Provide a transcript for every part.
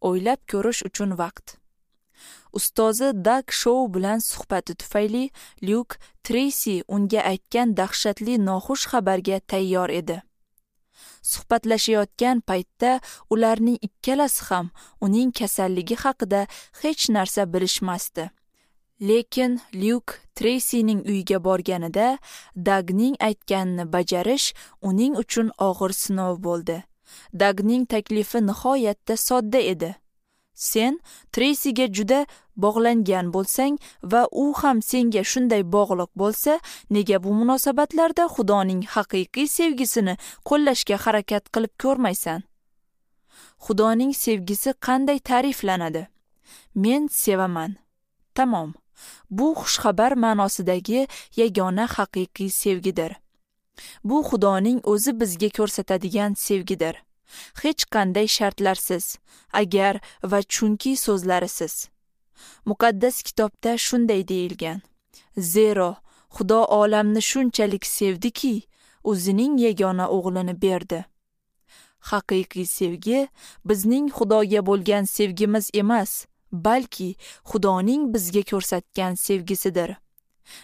O'ylab ko'rish uchun vaqt. Ustozi Dag Shou bilan suhbati tufayli Lyuk Treysi unga aytgan dahshatli noxush xabarga tayyor edi. Suhbatlashayotgan paytda ularning ikkalasi ham uning kasalligi haqida hech narsa bilishmasdi. Lekin Lyuk Treysining uyiga borganida Dagning aytganini bajarish uning uchun og'ir sinov bo'ldi. Dagning taklifi nihoyatda sodda edi. Sen Treysiga juda bog'langan bo'lsang va u ham senga shunday bog'liq bo'lsa, nega bu munosabatlarda Xudoning haqiqiy sevgisini qo'llashga harakat qilib ko'rmaysan? Xudoning sevgisi qanday ta'riflanadi? Men sevaman. Tamom. Bu xushxabar ma'nosidagi yagona haqiqiy sevgidir. Bu Xudoning o'zi bizga ko'rsatadigan sevgidir. Hech qanday shartlarsiz, agar va chunki so'zlarisiz. Muqaddas kitobda shunday deyilgan: Zero Xudo olamni shunchalik sevdiki, o'zining yagona o'g'lini berdi. Haqiqiy sevgi bizning Xudoga bo'lgan sevgimiz emas, balki Xudoning bizga ko'rsatgan sevgisidir.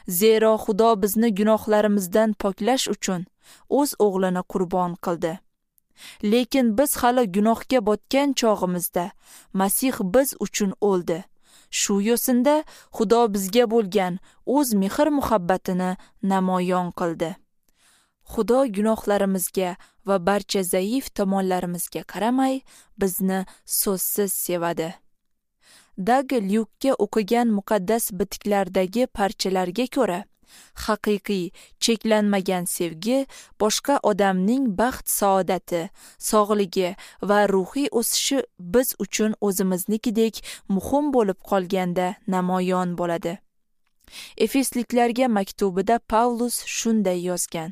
Zero Xudo bizni gunohlarimizdan poklash uchun o'z o'g'lini qurbon qildi. Lekin biz hali gunohga botgan chog'imizda Masih biz uchun o'ldi. Shu yo'sinda Xudo bizga bo'lgan o'z mehr-muhabbatini namoyon qildi. Xudo gunohlarimizga va barcha zaif tomonlarimizga qaramay bizni so'zsiz sevadi. Dag Lyukka o'qigan muqaddas bitiklardagi parchalarga ko'ra, haqiqiy, cheklanmagan sevgi boshqa odamning baxt-saodati, sog'ligi va ruhiy o'sishi biz uchun o'zimiznikidek muhim bo'lib qolganda namoyon bo'ladi. Efesliklarga maktubida Pavlus shunday yozgan: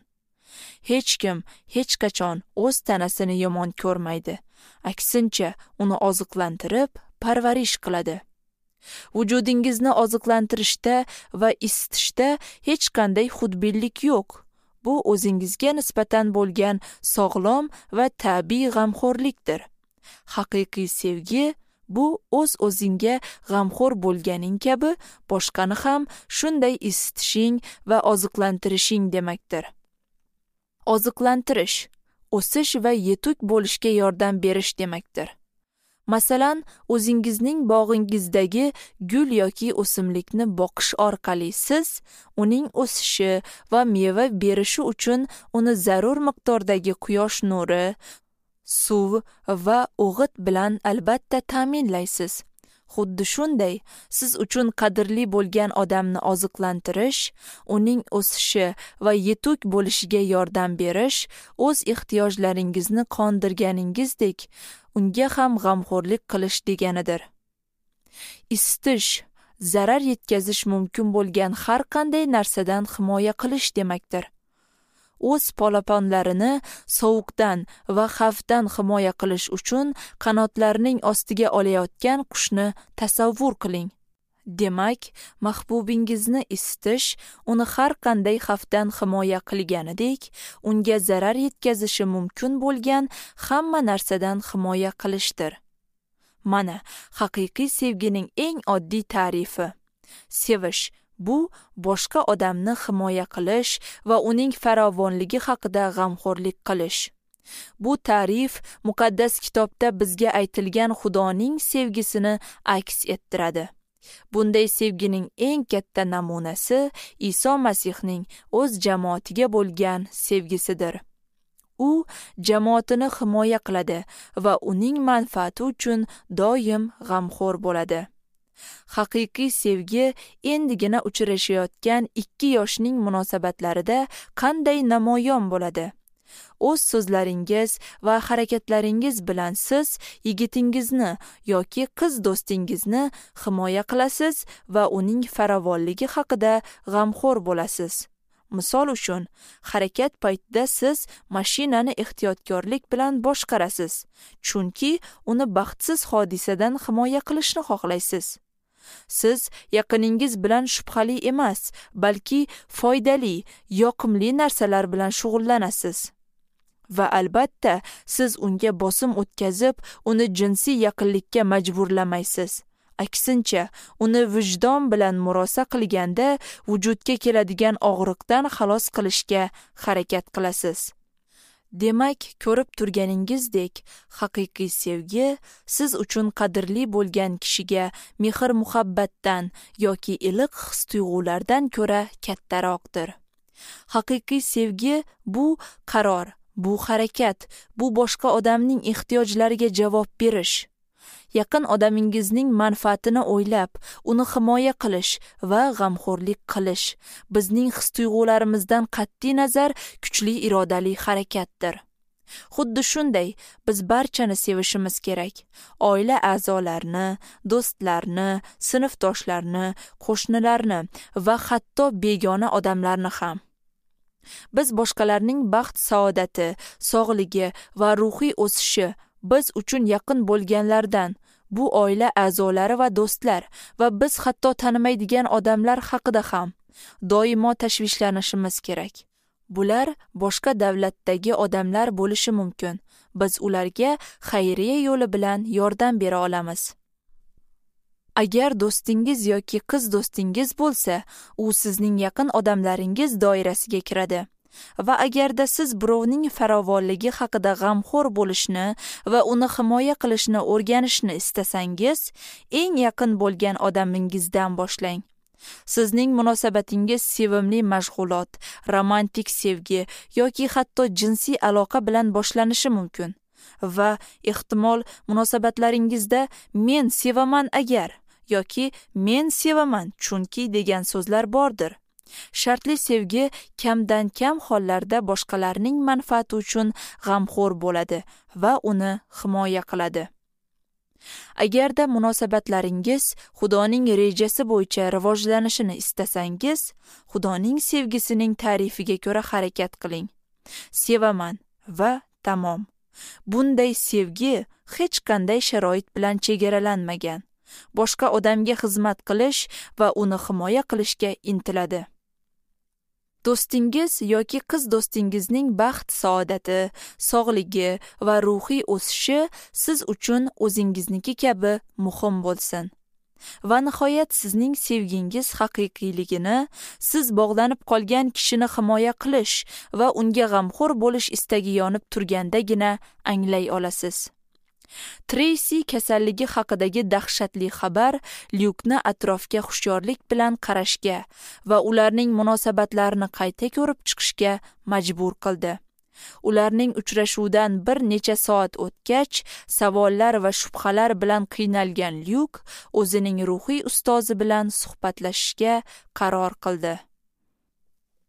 Hech kim hech qachon o'z tanasini yomon ko'rmaydi, aksincha uni oziqlantirib, parvarish qiladi. Vujudingizni oziqlantirishda va isitishda hech qanday xudbinlik yo'q. Bu o'zingizga nisbatan bo'lgan sog'lom va tabiiy g'amxo'rlikdir. Haqiqiy sevgi bu o'z-o'zingga g'amxo'r bo'lganing kabi boshqani ham shunday isitishing va oziqlantirishing demakdir. Oziqlantirish, o'sish va yetuk bo'lishga yordam berish demakdir. Masalan, o'zingizning bog'ingizdagi gul yoki o'simlikni boqish orqali siz uning o'sishi va meva berishi uchun uni zarur miqdordagi quyosh nuri, suv va o'g'it bilan albatta ta'minlaysiz. Xuddi shunday, siz uchun qadrli bo'lgan odamni oziqlantirish, uning o'sishi va yetuk bo'lishiga yordam berish, o'z ehtiyojlaringizni qondirganingizdek, unga ham g'amxo'rlik qilish deganidir. Isitish, zarar yetkazish mumkin bo'lgan har qanday narsadan himoya qilish demakdir. O'z polaponlarini sovuqdan va xavfdan himoya qilish uchun qanotlarining ostiga olayotgan qushni tasavvur qiling. Demak, mahbubingizni isitish uni har qanday xavfdan himoya qilganidek, unga zarar yetkazishi mumkin bo'lgan hamma narsadan himoya qilishdir. Mana haqiqiy sevgining eng oddiy ta'rifi. Sevish bu boshqa odamni himoya qilish va uning farovonligi haqida g'amxo'rlik qilish. Bu ta'rif muqaddas kitobda bizga aytilgan Xudoning sevgisini aks ettiradi. Bunday sevgining eng katta namunasi Iso Masihning o'z jamoatiga bo'lgan sevgisidir. U jamoatini himoya qiladi va uning manfaati uchun doim g'amxo'r bo'ladi. Haqiqiy sevgi endigina uchrashayotgan ikki yoshning munosabatlarida qanday namoyon bo'ladi? O'z so'zlaringiz va harakatlaringiz bilan siz yigitingizni yoki qiz do'stingizni himoya qilasiz va uning farovonligi haqida g'amxo'r bo'lasiz. Misol uchun, harakat paytida siz mashinani ehtiyotkorlik bilan boshqarasiz, chunki uni baxtsiz hodisadan himoya qilishni xohlaysiz. Siz yaqiningiz bilan shubhali emas, balki foydali, yoqimli narsalar bilan shug'ullanasiz. Va albatta, siz unga bosim o'tkazib, uni jinsiy yaqinlikka majburlamaysiz. Aksincha, uni vijdon bilan murosa qilganda vujudga keladigan og'riqdan xalos qilishga harakat qilasiz. Demak, ko'rib turganingizdek, haqiqiy sevgi siz uchun qadrli bo'lgan kishiga mehr-muhabbatdan yoki iliq his-tuyg'ulardan ko'ra kattaroqdir. Haqiqiy sevgi bu qaror, bu harakat, bu boshqa odamning ehtiyojlariga javob berish. Yaqin odamingizning manfaatini o'ylab, uni himoya qilish va g'amxo'rlik qilish bizning his-tuyg'ularimizdan qat'iy nazar kuchli irodali harakatdir. Xuddi shunday, biz barchani sevishimiz kerak. Oila a'zolarini, do'stlarni, sinfdoshlarni, qo'shnilarni va hatto begona odamlarni ham. Biz boshqalarning baxt-saodati, sog'ligi va ruhiy o'sishi biz uchun yaqin bo'lganlardan, bu oila a'zolari va do'stlar va biz hatto tanimaydigan odamlar haqida ham doimo tashvishlanishimiz kerak. Bular boshqa davlatdagi odamlar bo'lishi mumkin. Biz ularga xayriya yo'li bilan yordam bera olamiz. Agar do'stingiz yoki qiz do'stingiz bo'lsa, u sizning yaqin odamlaringiz doirasiga kiradi. Va agarda siz birovning farovonligi haqida g'amxo'r bo'lishni va uni himoya qilishni o'rganishni istasangiz, eng yaqin bo'lgan odamingizdan boshlang. Sizning munosabatingiz sevimli mashg'ulot, romantik sevgi yoki hatto jinsiy aloqa bilan boshlanishi mumkin. Va ehtimol munosabatlaringizda men sevaman agar yoki men sevaman chunki degan so'zlar bordir. Shartli sevgi kamdan kam hollarda boshqalarning manfaati uchun g'amxo'r bo'ladi va uni himoya qiladi. Agarda munosabatlaringiz Xudoning rejasi bo'yicha rivojlanishini istasangiz, Xudoning sevgisining ta'rifiga ko'ra harakat qiling. Sevaman va tamom. Bunday sevgi hech qanday sharoit bilan chegaralanmagan. Boshqa odamga xizmat qilish va uni himoya qilishga intiladi. Do'stingiz yoki qiz do'stingizning baxt-saodati, sog'ligi va ruhiy o'sishi siz uchun o'zingizniki kabi muhim bo'lsin. Va nihoyat sizning sevgingiz haqiqiyligini, siz bog'lanib qolgan kishini himoya qilish va unga g'amxo'r bo'lish istagi yonib turgandagina anglay olasiz. Treysi kasalligi haqidagi dahshatli xabar Lyukni atrofga hushyorlik bilan qarashga va ularning munosabatlarini qayta ko'rib chiqishga majbur qildi. Ularning uchrashuvidan bir necha soat o'tgach, savollar va shubhalar bilan qiynalgan Lyuk o'zining ruhiy ustozi bilan suhbatlashishga qaror qildi.